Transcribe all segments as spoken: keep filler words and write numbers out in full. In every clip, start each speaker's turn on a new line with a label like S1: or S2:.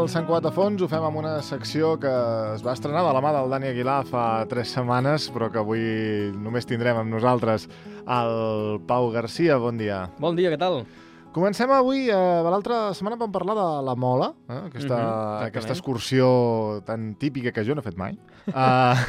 S1: el Sant Cugat a fons, ho fem amb una secció que es va estrenar de la mà del Dani Aguilar fa tres setmanes, però que avui només tindrem amb nosaltres el Pau Garcia. Bon dia.
S2: Bon dia, què tal?
S1: Comencem avui, eh, l'altra setmana vam parlar de la Mola, eh, aquesta,
S2: Mhm,
S1: aquesta excursió tan típica que jo no he fet mai, uh,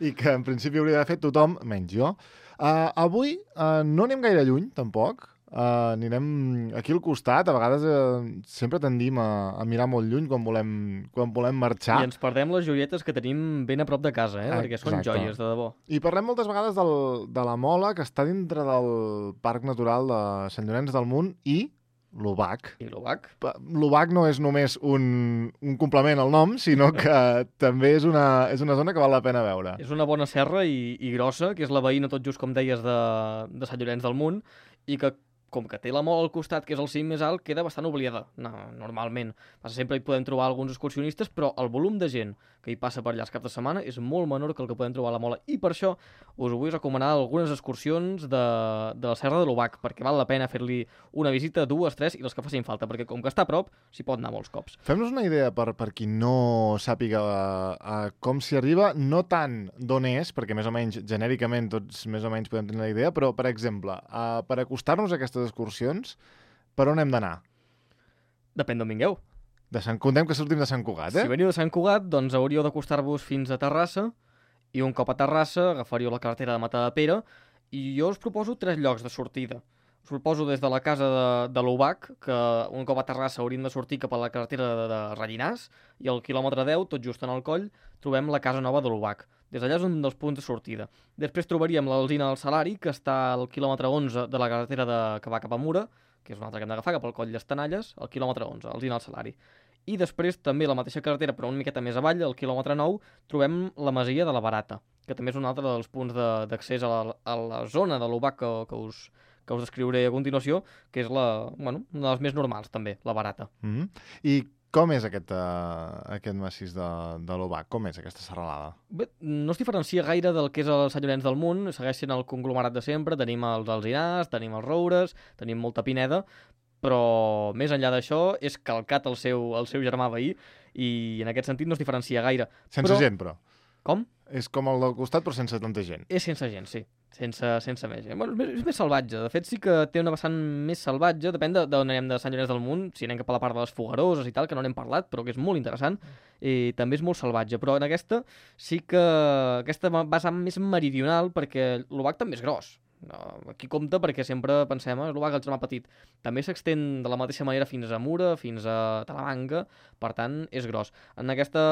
S1: i que en principi hauria d'haver fet tothom, menys jo. Uh, avui uh, no anem gaire lluny, tampoc. Uh, anirem aquí al costat. A vegades uh, sempre tendim a, a mirar molt lluny quan volem, quan volem marxar.
S2: I ens perdem les joietes que tenim ben a prop de casa, eh? Perquè són
S1: Exacte.
S2: joies, de debò.
S1: I parlem moltes vegades del, de la Mola, que està dintre del Parc Natural de Sant Llorenç del Munt, i l'Obac.
S2: I l'Obac?
S1: L'Obac no és només un, un complement al nom, sinó que també és una, és una zona que val la pena veure.
S2: És una bona serra i, i grossa, que és la veïna tot just, com deies, de, de Sant Llorenç del Munt, i que, com que té la Mola al costat, que és el cim més alt, queda bastant oblidada, no, normalment. Sempre hi podem trobar alguns excursionistes, però el volum de gent que hi passa per allà els caps de setmana és molt menor que el que podem trobar a la Mola. I per això us vull recomanar algunes excursions de, de la Serra de l'Obac, perquè val la pena fer-li una visita, dues, tres, i les que facin falta, perquè com que està a prop, s'hi pot anar molts cops.
S1: Fem-nos una idea per, per qui no sàpiga uh, com s'hi arriba, no tant d'on és, perquè més o menys, genèricament, tots més o menys podem tenir la idea, però, per exemple, uh, per acostar-nos a aquestes excursions, per on hem d'anar?
S2: Depèn d'on vingueu.
S1: De Sant, contem que sortim de Sant Cugat, eh?
S2: Si veniu de Sant Cugat, doncs hauríeu d'acostar-vos fins a Terrassa, i un cop a Terrassa agafaríeu la carretera de Matadepera, i jo us proposo tres llocs de sortida. Us proposo des de la casa de, de l'Obac, que un cop a Terrassa hauríem de sortir cap a la carretera de, de Rellinars, i al quilòmetre deu, tot just en el coll, trobem la casa nova de l'Obac. Des d'allà és un dels punts de sortida. Després trobaríem l'Alzina del Salari, que està al quilòmetre onze de la carretera de, que va cap a Mura, que és una altra que hem d'agafar, cap al coll d'Estanalles, al quilòmetre onze, Alzina del Salari. I després, també la mateixa carretera, però una miqueta més avall, al quilòmetre nou, trobem la Masia de la Barata, que també és un altre dels punts d'accés a, la, a la zona de l'Obac que, que, us, que us descriuré a continuació, que és la, bueno, una de les més normals, també, la Barata.
S1: Mm-hmm. I com és aquest, uh, aquest massís de, de l'Obac? Com és aquesta serralada?
S2: Bé, no es diferencia gaire del que és el Sant Llorenç del Munt, segueix sent el conglomerat de sempre, tenim els alzinars, tenim els roures, tenim molta pineda, però més enllà d'això és calcat el seu, el seu germà veí i en aquest sentit no es diferencia gaire.
S1: Sense
S2: però...
S1: gent, però.
S2: Com?
S1: És com el del costat, però sense tanta gent.
S2: És sense gent, sí. Sense, sense més gent. Bueno, és, més, és més salvatge. De fet, sí que té una vessant més salvatge. Depèn d'on anem de Sant Llorenç del Munt. Si anem cap a la part de les Fogueroses i tal, que no n'hem parlat, però que és molt interessant. I també és molt salvatge. Però en aquesta sí que aquesta vessant més meridional, perquè l'Obac també és gros. No, aquí compta perquè sempre pensem eh, l'Obac el germà petit. També s'extén de la mateixa manera fins a Mura, fins a Talamanca, per tant és gros. En aquesta,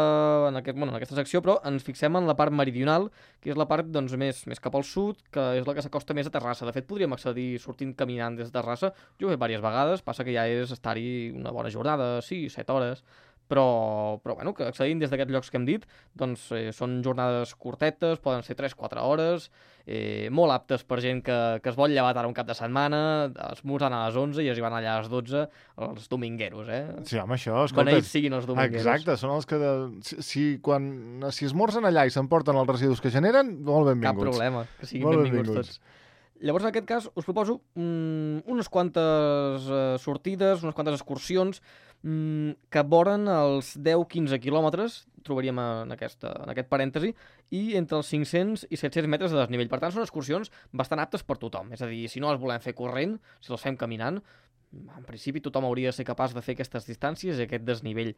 S2: en aquest, bueno, en aquesta secció però ens fixem en la part meridional, que és la part doncs, més, més cap al sud, que és la que s'acosta més a Terrassa. De fet podríem accedir sortint caminant des de Terrassa. Jo ho he fet diverses vegades, passa que ja és estar-hi una bona jornada, sis, set hores, però, però bueno, que accedint des d'aquests llocs que hem dit, doncs eh, són jornades curtetes, poden ser tres quatre hores, eh, molt aptes per gent que, que es vol llevar tard un cap de setmana, esmorzant a les onze i arribant allà a les dotze, els domingueros, eh?
S1: Sí, home, això, escolta...
S2: Beneïts siguin els domingueros.
S1: Exacte, són els que... De, si, si, quan, si esmorzen allà i s'emporten els residus que generen, molt benvinguts.
S2: Cap problema, que siguin
S1: molt
S2: benvinguts,
S1: benvinguts
S2: tots. Llavors, en aquest cas, us proposo mm, unes quantes uh, sortides, unes quantes excursions mm, que voren els deu quinze quilòmetres, trobaríem en, aquesta, en aquest parèntesi, i entre els cinc-cents i set-cents metres de desnivell. Per tant, són excursions bastant aptes per tothom. És a dir, si no les volem fer corrent, si les fem caminant, en principi tothom hauria de ser capaç de fer aquestes distàncies i aquest desnivell.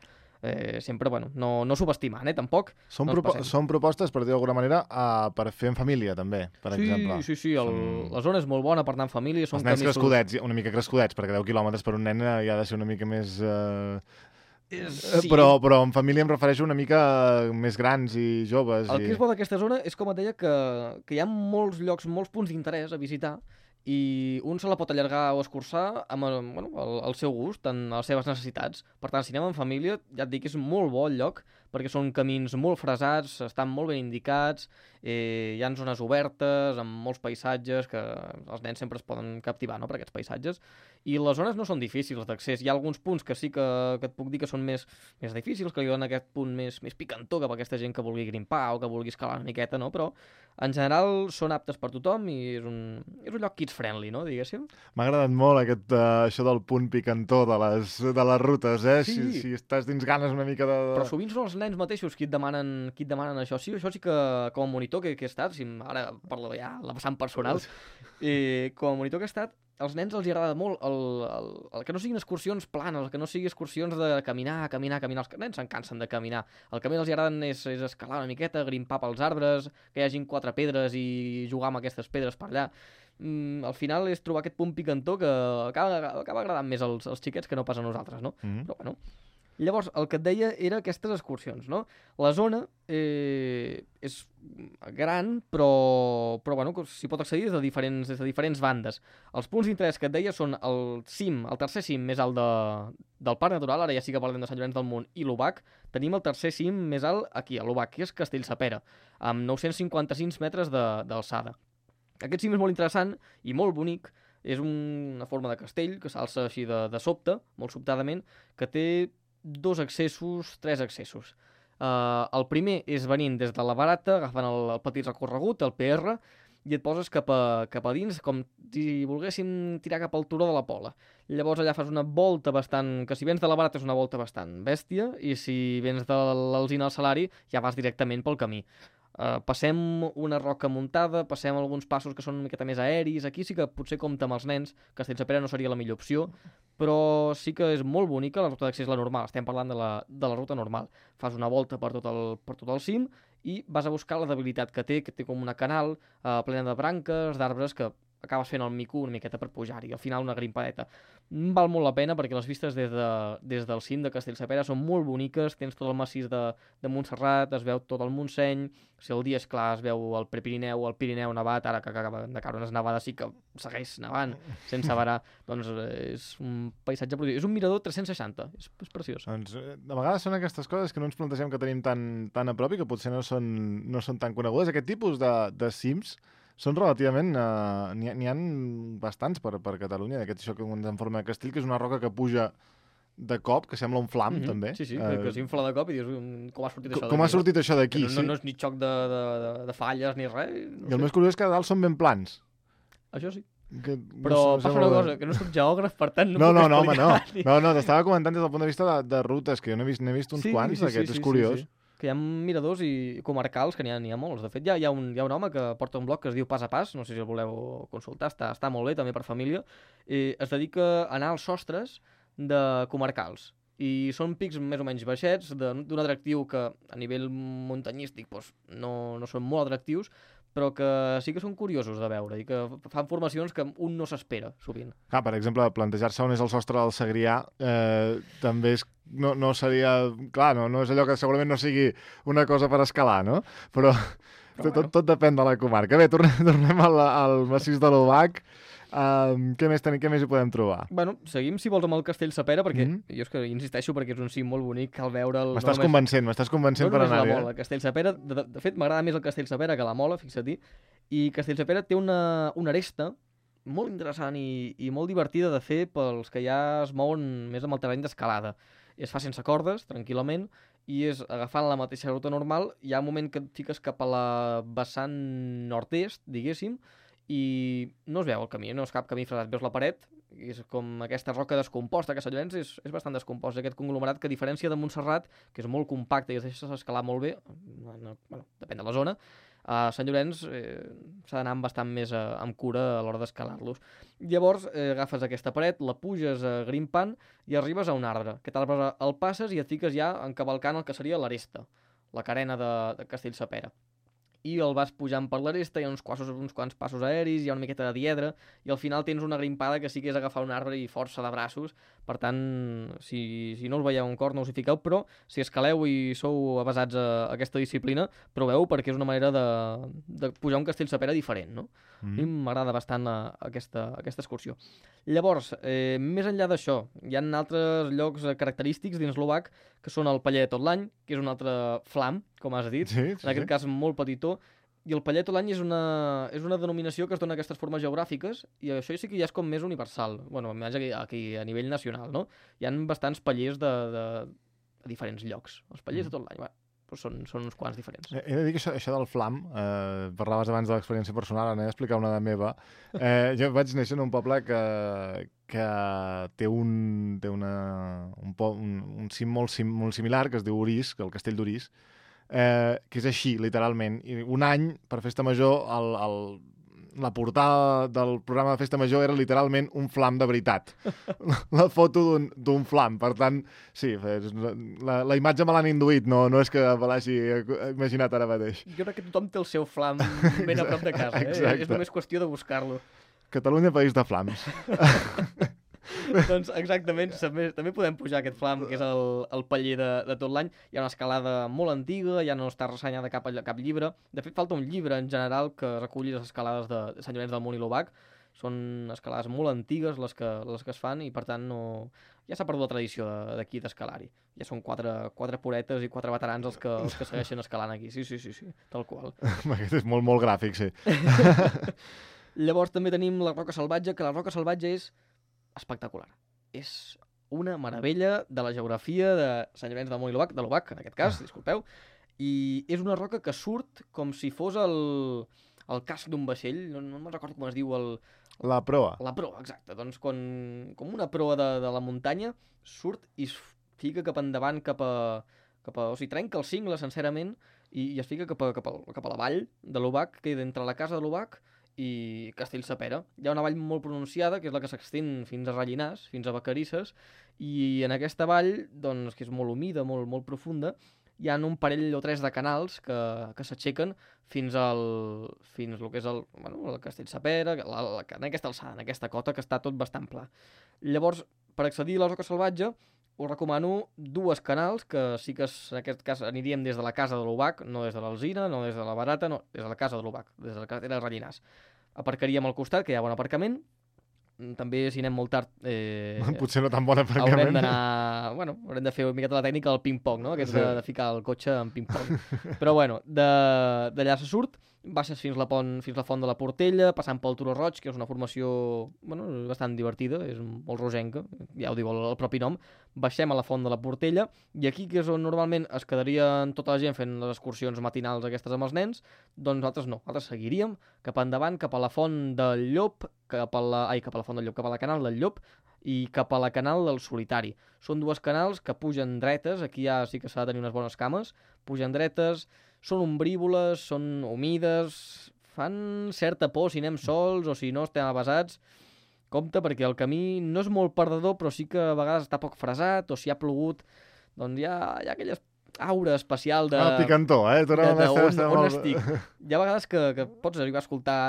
S2: Eh, sempre, bueno, no, no subestimant, eh, tampoc.
S1: Són,
S2: no
S1: propo són propostes, per dir d'alguna manera, uh, per fer en família, també, per
S2: sí,
S1: exemple.
S2: Sí, sí, el,
S1: són...
S2: la zona és molt bona per anar en família. Són
S1: Els nens
S2: camisos...
S1: crescudets, una mica crescudets, perquè deu quilòmetres per un nen ja ha de ser una mica més... Uh...
S2: Sí.
S1: Però, però en família em refereixo una mica més grans i joves.
S2: El
S1: i...
S2: que és bo d'aquesta zona és, com et deia, que, que hi ha molts llocs, molts punts d'interès a visitar, i un se la pot allargar o escurçar amb el, bueno, el, el seu gust, en les seves necessitats. Per tant, si anem en família, ja et dic que és molt bo el lloc perquè són camins molt fresats, estan molt ben indicats, eh, hi ha zones obertes, amb molts paisatges, que els nens sempre es poden captivar, no?, per aquests paisatges, i les zones no són difícils d'accés. Hi ha alguns punts que sí que, que et puc dir que són més, més difícils, que li donen aquest punt més, més picantó cap a aquesta gent que vulgui grimpar o que vulgui escalar una miqueta, no?, però en general són aptes per tothom i és un, és un lloc kids-friendly, no?, diguéssim.
S1: M'ha agradat molt aquest, uh, això del punt picantó de les, de les rutes, eh?
S2: Sí.
S1: Si, si estàs dins ganes una mica de...
S2: Però sovint són els nens mateixos qui et demanen, qui et demanen això. Sí, això sí que, com a monitor que, que he estat, si ara parlo ja la vessant personal, i com a monitor que he estat, als nens els agrada molt el, el, el que no siguin excursions planes, el que no siguin excursions de caminar, caminar, caminar. Els nens se'n cansen de caminar. El que més els agrada és, és escalar una miqueta, grimpar pels arbres, que hi hagin quatre pedres i jugar amb aquestes pedres per allà. Mm, al final és trobar aquest punt picantó que acaba, acaba agradant més als, als xiquets que no pas a nosaltres, no?
S1: Mm-hmm.
S2: Però bueno... Llavors, el que et deia era aquestes excursions, no? La zona eh, és gran, però, però bueno, s'hi pot accedir des de, diferents, des de diferents bandes. Els punts d'interès que et deia són el cim, el tercer cim més alt de, del Parc Natural, ara ja sí que parlem de Sant Llorenç del Munt i l'Obac. Tenim el tercer cim més alt aquí, a l'Obac, que és Castellsepera, amb nou-cents cinquanta-cinc metres d'alçada. Aquest cim és molt interessant i molt bonic. És una forma de castell que s'alça així de, de sobte, molt sobtadament, que té dos accessos, tres accessos. Uh, el primer és venint des de la Barata, agafant el, el petit recorregut, el P R, i et poses cap a, cap a dins, com si volguéssim tirar cap al turó de la Pola. Llavors allà fas una volta bastant... que si vens de la Barata és una volta bastant bèstia, i si vens de l'Alzina al Salari ja vas directament pel camí. Uh, passem una roca muntada, passem alguns passos que són una miqueta més aeris. Aquí sí que potser compta amb els nens, Castellsepera no seria la millor opció, però sí que és molt bonica. La ruta d'accés la normal, estem parlant de la, de la ruta normal. Fas una volta per tot el, per tot el cim i vas a buscar la debilitat que té, que té com una canal uh, plena de branques, d'arbres, que acabes fent el mico una miqueta per pujar-hi, al final una grimpadeta. Val molt la pena perquè les vistes des, de, des del cim de Castellsepera són molt boniques, tens tot el massís de, de Montserrat, es veu tot el Montseny, si el dia és clar es veu el Prepirineu, el Pirineu nevat, ara que acaba de caure unes nevades sí que segueix nevant sense varar, doncs és un paisatge prodigiós, és un mirador tres-cents seixanta, és, és preciós.
S1: Doncs de vegades són aquestes coses que no ens plantegem que tenim tan, tan a prop i que potser no són, no són tan conegudes. Aquest tipus de, de cims són relativament... Uh, N'hi ha, ha bastants per, per Catalunya, d'aquest això que en forma de castell, que és una roca que puja de cop, que sembla un flam,
S2: mm-hmm.
S1: també.
S2: Sí, sí,
S1: uh,
S2: que, que s'infla de cop i dius com ha sortit això d'aquí.
S1: Com ha sortit això d'aquí,
S2: no,
S1: sí.
S2: No, no és ni xoc de, de, de, de falles ni res. No
S1: I el
S2: sé.
S1: més curiós és que a dalt són ben plans.
S2: Això sí.
S1: Que
S2: però no passa una cosa, que no soc geògraf, per tant no,
S1: no
S2: puc
S1: no, no, home, no.
S2: ni...
S1: No, no, t'estava comentant des del punt de vista de, de rutes, que jo n'he vist, vist uns
S2: sí,
S1: quants,
S2: sí,
S1: d'aquests,
S2: sí,
S1: és
S2: sí,
S1: curiós.
S2: Sí, sí. Que hi ha miradors i comarcals, que n'hi ha, ha molts. De fet, hi ha, hi, ha un, hi ha un home que porta un blog que es diu Pas a Pas, no sé si el voleu consultar, està, està molt bé, també per família, i es dedica a anar als sostres de comarcals. I són pics més o menys baixets, d'un atractiu que a nivell muntanyístic doncs, no, no són molt atractius, però que sí que són curiosos de veure i que fan formacions que un no s'espera, sovint.
S1: Ah, per exemple, plantejar-se on és el sostre del Segrià eh, també és, no, no seria... Clar, no, no és allò que segurament no sigui una cosa per escalar, no? Però, però tot, bueno. tot depèn de la comarca. Bé, tornem, tornem al, al massís de l'Obac. Um, què, més tenim, què més hi podem trobar?
S2: Bueno, seguim, si vols, amb el Castellsepera, perquè
S1: mm-hmm.
S2: jo és que insisteixo perquè és un cim molt bonic, cal veure'l...
S1: M'estàs
S2: no
S1: convencent, m'estàs convencent
S2: no
S1: per anar-hi.
S2: No només la Mola, Castellsepera, de, de fet m'agrada més el Castellsepera que la Mola, fixa-t'hi, i Castellsepera té una, una aresta molt interessant i, i molt divertida de fer pels que ja es mouen més amb el terreny d'escalada. Es fa sense cordes, tranquil·lament, i és agafant la mateixa ruta normal, hi ha un moment que et fiques cap a la vessant nord-est, diguéssim, i no es veu el camí, no és cap camí fresat, veus la paret, i és com aquesta roca descomposta, que Sant Llorenç és, és bastant descompost, aquest conglomerat que a diferència de Montserrat, que és molt compacte i es deixa escalar molt bé, no, no, bueno, depèn de la zona, a Sant Llorenç eh, s'ha d'anar amb bastant més eh, amb cura a l'hora d'escalar-los. Llavors eh, agafes aquesta paret, la puges eh, grimpant i arribes a un arbre. Aquest arbre el passes i et fiques ja encavalcant el que seria l'aresta, la carena de, de Castellsepera. i el vas pujant per l'aresta, hi ha uns, quassos, uns quants passos aeris, hi ha una miqueta de diedre, i al final tens una grimpada que sí que és agafar un arbre i força de braços. Per tant, si, si no us veieu un cor, no us hi fiqueu, però si escaleu i sou avasats a, a aquesta disciplina, proveu, perquè és una manera de, de pujar un castell sapera diferent, no? Mm. A mi m'agrada bastant a, a aquesta, a aquesta excursió. Llavors, eh, més enllà d'això, hi ha altres llocs característics dins l'Obac, que són el Paller de tot l'any, que és un altre flam, com has dit,
S1: sí, sí,
S2: en aquest
S1: sí.
S2: cas molt petitó, i el Paller tot l'any és, una, és una denominació que es dona a aquestes formes geogràfiques, i això sí que ja és com més universal, bueno, més aquí, aquí a nivell nacional, no? Hi ha bastants pallers de, de, de diferents llocs, els pallers mm. de tot l'any, bueno, doncs són, són uns quants diferents.
S1: He de dir que això, això del flam, eh, parlaves abans de l'experiència personal, ara n'he d'explicar una de meva. Eh, jo vaig néixer en un poble que, que té un, té una, un, po, un, un cim molt, sim, molt similar, que es diu Orís, que el castell d'Orís, eh, que és així, literalment. I un any, per Festa Major, el, el, la portada del programa de Festa Major era literalment un flam de veritat. La foto d'un flam. Per tant, sí, la, la imatge me l'han induït, no, no és que me l'hagi imaginat ara mateix.
S2: Jo crec que tothom té el seu flam ben a prop de casa, eh?
S1: Exacte.
S2: És només qüestió de buscar-lo.
S1: Catalunya, país de flams.
S2: Doncs exactament, també, també podem pujar aquest flam, que és el, el paller de, de tot l'any. Hi ha una escalada molt antiga, ja no està ressenyada cap, cap llibre. De fet, falta un llibre en general que reculli les escalades de, de Sant Llorenç del Munt i l'Obac. Són escalades molt antigues les que, les que es fan i, per tant, no... ja s'ha perdut la tradició d'aquí d'escalar-hi. Ja són quatre, quatre puretes i quatre veterans els que, els que segueixen escalant aquí. Sí, sí, sí, sí, tal qual.
S1: Aquest és molt, molt gràfic, sí.
S2: Llavors també tenim la Roca Salvatge, que la Roca Salvatge és espectacular. És una meravella de la geografia de Sant Llorenç del Munt i l'Obac, de l'Obac, en aquest cas, disculpeu, i és una roca que surt com si fos el, el casc d'un vaixell, no, no me'n recordo com es diu el...
S1: La proa.
S2: La proa, exacte. Doncs quan, com una proa de, de la muntanya, surt i es fica cap endavant, cap a... Cap a o sigui, trenca el cingle, sincerament, i, i es fica cap a, cap a, cap a la vall de l'Obac, que queda entre la casa de l'Obac i Castellsapera. Hi ha una vall molt pronunciada, que és la que s'extén fins a Rellinars, fins a Vacarisses, i en aquesta vall, doncs, que és molt humida, molt, molt profunda, hi ha un parell o tres de canals que, que s'aixequen fins al fins el que és el, bueno, el Castellsapera, la, la, en aquesta alçada, en aquesta cota, que està tot bastant pla. Llavors, per accedir a la Roca Salvatge, us recomano dues canals, que sí que en aquest cas aniríem des de la casa de l'Obac, no des de l'Alzina, no des de la Barata, no, des de la casa de l'Obac, des de la carretera de Rellinars. Aparcaríem al costat, que hi ha bon aparcament. També, si anem molt tard... Eh,
S1: Potser no tan bon aparcament.
S2: Haurem d'anar... Bueno, haurem de fer una miqueta la tècnica del ping-pong, no? Aquest sí. de, de ficar el cotxe en ping-pong. Però bueno, d'allà se surt, baixes fins la, pont, fins la font de la Portella, passant pel Turó Roig, que és una formació bueno, bastant divertida, és molt rogenca, ja ho diu el, el propi nom. Baixem a la font de la Portella, i aquí, que és on normalment es quedarien tota la gent fent les excursions matinals aquestes amb els nens, doncs nosaltres no, nosaltres seguiríem cap endavant, cap a la font del Llop, cap a la, ai, cap a la font del Llop, cap a la canal del Llop, i cap a la canal del Solitari. Són dues canals que pugen dretes, aquí ja sí que s'ha de tenir unes bones cames, pugen dretes, són ombrívoles, són humides, fan certa por si anem sols o si no estem avasats. Compte, perquè el camí no és molt perdedor, però sí que a vegades està poc fresat, o si ha plogut, doncs hi ha, hi ha aquella aura especial de...
S1: Ah, picantó, eh?
S2: De, de, on, on estic. Hi ha vegades que, que pots arribar a escoltar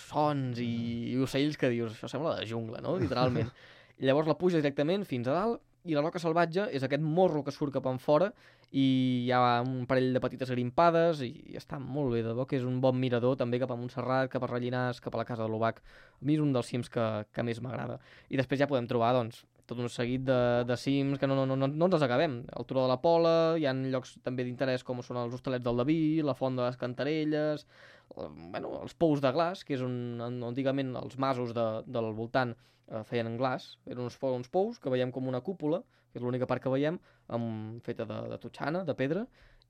S2: sons i, i ocells que dius, això sembla de jungla, no? Literalment. I llavors la puja directament fins a dalt, i la Roca Salvatge és aquest morro que surt cap en fora i hi ha un parell de petites grimpades i, i està molt bé, de bo que és un bon mirador també cap a Montserrat, cap a Rellinars, cap a la casa de l'Obac. A mi és un dels cims que, que més m'agrada. I després ja podem trobar, doncs, tot un seguit de, de cims que no, no, no, no ens els acabem. El Turó de la Pola, hi ha llocs també d'interès com són els Hostalets del Daví, la Font de les Cantarelles, eh, bueno, els Pous de Glaç, que és un, antigament els masos de, del voltant eh, feien en glaç, eren uns, uns pous que veiem com una cúpula, que és l'única part que veiem, amb, feta de, de totxana, de pedra,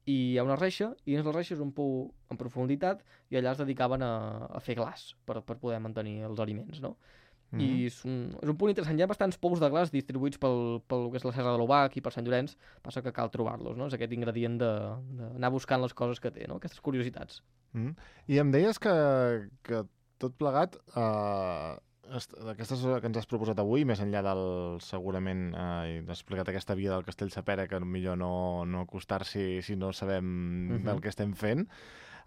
S2: i hi ha una reixa, i dins la reixa és un pou en profunditat, i allà es dedicaven a, a fer glaç per, per poder mantenir els aliments, no? Mm-hmm. I és un, és un punt interessant. Hi ha bastants pous de glaç distribuïts pel, pel que és la Serra de l'Obac i per Sant Llorenç, passa que cal trobar-los, no? És aquest ingredient d'anar buscant les coses que té, no? Aquestes curiositats.
S1: Mm. I em deies que, que tot plegat, eh, aquestes que ens has proposat avui, més enllà del, segurament, eh, has explicat aquesta via del Castellsapera, que millor no, no acostar-s'hi si no sabem mm-hmm. del que estem fent,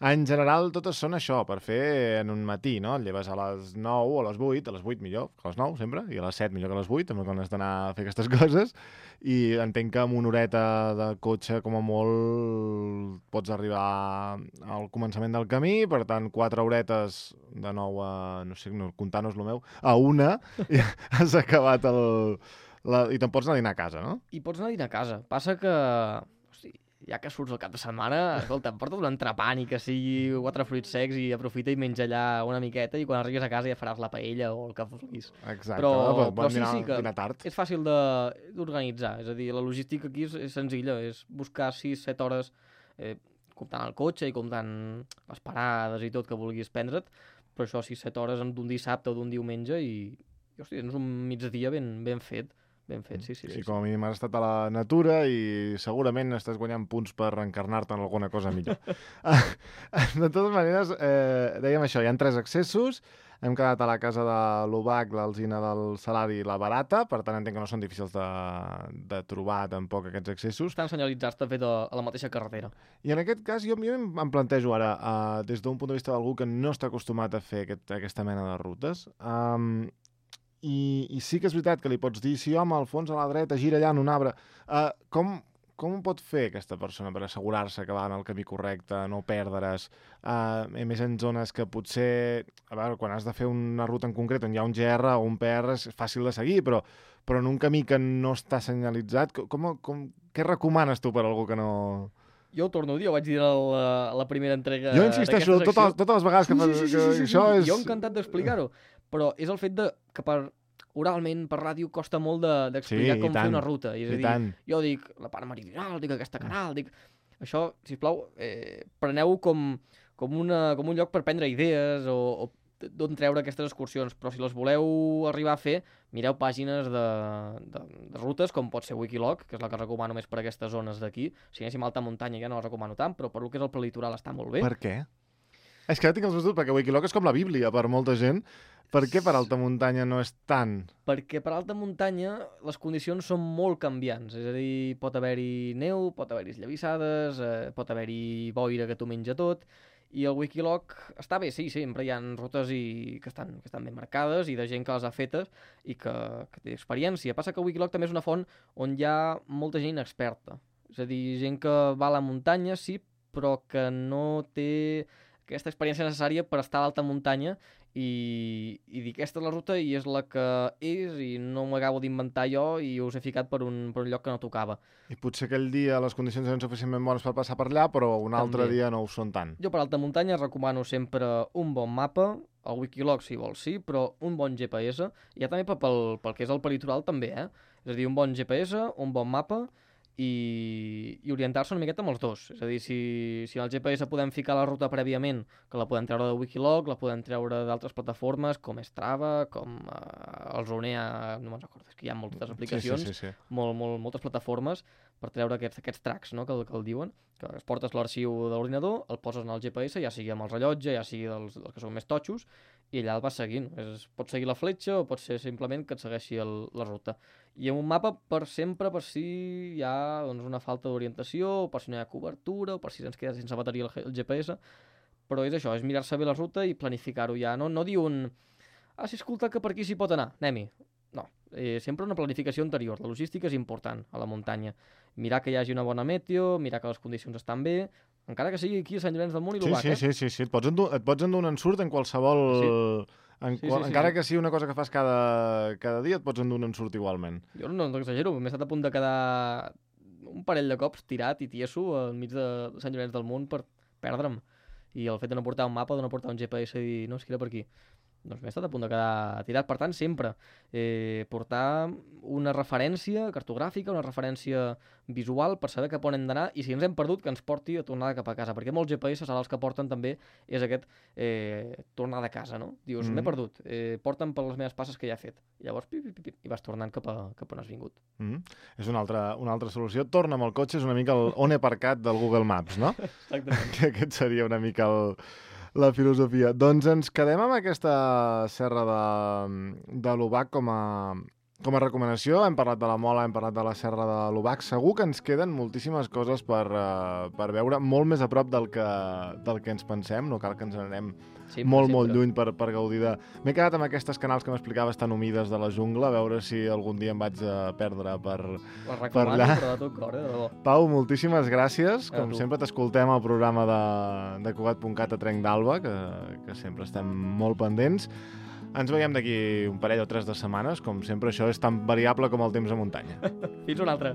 S1: En general, totes són això, per fer en un matí, no? Et lleves a les nou o a les vuit, a les vuit millor que a les nou, sempre, i a les set millor que a les vuit, també quan has d'anar a fer aquestes coses, i entenc que amb una horeta de cotxe, com a molt, pots arribar al començament del camí, per tant, quatre horetes de nou a, no sé, no, comptant-nos el meu, a una, i has acabat el... La, i te'n pots anar a dinar a casa, no?
S2: I pots anar a dinar a casa. Passa que... Hosti, ja que surts el cap de setmana, escolta, porta't un entrepà ni que sigui quatre fruits secs i aprofita i menja allà una miqueta i quan arribis a casa ja faràs la paella o el que vulguis.
S1: Exacte.
S2: Però,
S1: Bon,
S2: però sí,
S1: dinar,
S2: sí que
S1: tard.
S2: és fàcil de- d'organitzar. És a dir, la logística aquí és, és senzilla. És buscar sis set hores eh, comptant el cotxe i comptant les parades i tot que vulguis prendre't, però això sis set hores d'un dissabte o d'un diumenge i, i hosti, és un migdia ben, ben fet. Ben fet, sí, sí.
S1: Sí,
S2: sí, sí.
S1: com a mínim has estat a la natura i segurament estàs guanyant punts per encarnar-te en alguna cosa millor. De totes maneres, eh, dèiem això, hi ha tres accessos, hem quedat a la casa de l'Ubac, l'Alzina del Salari i la Barata, per tant entenc que no són difícils de, de trobar tampoc aquests accessos.
S2: Estan senyalitzats de fet a, a la mateixa carretera.
S1: I en aquest cas jo, jo em em plantejo ara, uh, des d'un punt de vista d'algú que no està acostumat a fer aquest, aquesta mena de rutes, um, I, i sí que és veritat que li pots dir si home, al fons a la dreta, gira allà en un arbre, uh, com, com ho pot fer aquesta persona per assegurar-se que va en el camí correcte, no perdre's, uh, a més en zones que potser, a veure, quan has de fer una ruta en concret on hi ha un G R o un P R és fàcil de seguir, però, però en un camí que no està senyalitzat, com, com, què recomanes tu per a algú que no...
S2: Jo ho torno a dir, ho vaig dir a la, a la primera entrega
S1: Jo insisteixo
S2: d'aquesta
S1: totes,
S2: secció.
S1: totes les vegades que,
S2: Sí, sí, sí,
S1: que
S2: sí, sí,
S1: això
S2: sí.
S1: és...
S2: Jo encantat d'explicar-ho, però és el fet de que per oralment, per ràdio, costa molt de- d'explicar
S1: Sí, i
S2: com fer
S1: tant,
S2: una ruta. És a
S1: i
S2: dir,
S1: tant.
S2: jo dic la part meridional, dic aquesta canal, dic... Això, sisplau, eh, preneu com, com, una, com un lloc per prendre idees o, o d'on treure aquestes excursions, però si les voleu arribar a fer, mireu pàgines de, de, de rutes, com pot ser Wikiloc, que és la que recomano més per aquestes zones d'aquí. Si anéssim a alta muntanya ja no la recomano tant, però per lo que és el prelitoral està molt bé.
S1: Per què? És que ara tinc els meus dubtes, perquè Wikiloc és com la Bíblia per molta gent. Per què per alta muntanya no és tant?
S2: Perquè per alta muntanya les condicions són molt canviants, és a dir, pot haver-hi neu, pot haver-hi esllavissades, eh, pot haver-hi boira que t'ho menja tot, i el Wikiloc està bé, sí, sempre hi ha rutes i que, estan, que estan ben marcades i de gent que les ha fetes i que, que té experiència. Passa que el Wikiloc també és una font on hi ha molta gent experta, és a dir, gent que va a la muntanya, sí, però que no té aquesta experiència necessària per estar a l'alta muntanya i, i dir aquesta és la ruta i és la que és i no m'acabo d'inventar jo i us he ficat per un, per un lloc que no tocava.
S1: I potser aquell dia les condicions eren suficientment bones per passar per allà, però un altre
S2: També.
S1: dia no ho són tant.
S2: Jo per alta muntanya recomano sempre un bon mapa, el Wikiloc si vols sí, però un bon G P S, i ja també pel, pel que és el peritoral també, eh? És a dir, un bon G P S, un bon mapa i, i orientar-se una miqueta amb els dos. És a dir, si, si en el G P S podem ficar la ruta prèviament, que la podem treure de Wikiloc, la podem treure d'altres plataformes com Strava, com eh, el Zonea, no me'n recordo, és que hi ha moltes aplicacions,
S1: Sí, sí, sí, sí.
S2: molt, molt, moltes plataformes per treure aquests, aquests tracks, no?, que, el- que el diuen, que es portes l'arxiu de l'ordinador, el poses en el G P S, ja sigui amb el rellotge, ja sigui dels, dels que són més totxos, i allà el vas seguint. És, pots seguir la fletxa o pot ser simplement que et segueixi el, la ruta. I amb un mapa per sempre, per si hi ha doncs, una falta d'orientació, o per si no hi ha cobertura, o per si ens queda sense bateria el, G- el G P S, però és això, és mirar-se bé la ruta i planificar-ho ja, no, no dir un... Ah, sí, escolta, que per aquí s'hi pot anar, anem-hi. No, eh, sempre una planificació anterior. La logística és important a la muntanya. Mirar que hi hagi una bona meteo, mirar que les condicions estan bé, encara que sigui aquí a Sant Llorenç del Munt i
S1: Sí,
S2: l'Ubac,
S1: sí,
S2: eh?
S1: sí, sí, sí. Et pots endur, et pots endur un ensurt en qualsevol...
S2: Sí.
S1: En
S2: Sí,
S1: qual...
S2: sí, sí,
S1: Encara
S2: sí.
S1: que sigui una cosa que fas cada, cada dia, et pots endur un ensurt igualment.
S2: Jo no, no exagero, m'he estat a punt de quedar un parell de cops tirat i tieso enmig de Sant Llorenç del Munt per perdre'm. I el fet de no portar un mapa, de no portar un G P S i dir, no, és que era per aquí. Doncs m'he estat a punt de quedar tirat. Per tant, sempre eh, portar una referència cartogràfica, una referència visual per saber cap on hem d'anar i si ens hem perdut que ens porti a tornar cap a casa, perquè molts G P S ara els que porten també és aquest eh, tornar de casa, no? Dius,
S1: Mhm.
S2: m'he perdut, eh, porta'm per les meves passes que ja he fet. I llavors, pip, pip, pip, i vas tornant cap, a, cap on has vingut.
S1: Mm -hmm. És una altra, una altra solució. Torna amb el cotxe, és una mica el on he aparcat del Google Maps, no?
S2: Exactament.
S1: Que aquest seria una mica el, la filosofia. Doncs ens quedem amb aquesta serra de, de l'Ubac com a, com a recomanació, hem parlat de la Mola, hem parlat de la Serra de l'Obac. Segur que ens queden moltíssimes coses per, uh, per veure, molt més a prop del que, del que ens pensem. No cal que ens anem
S2: sí,
S1: molt,
S2: sí,
S1: molt
S2: però...
S1: lluny per, per gaudir de... M'he quedat amb aquestes canals que m'explicaves tan humides de la jungla, a veure si algun dia em vaig a perdre per, per allà.
S2: Però de tot cor, eh, de debò.
S1: Pau, moltíssimes gràcies. Com
S2: tu.
S1: sempre t'escoltem al programa de, de Cugat punt cat a Trenc d'Alba, que, que sempre estem molt pendents. Ens veiem d'aquí un parell o tres de setmanes. Com sempre, això és tan variable com el temps a muntanya.
S2: Fins una altra.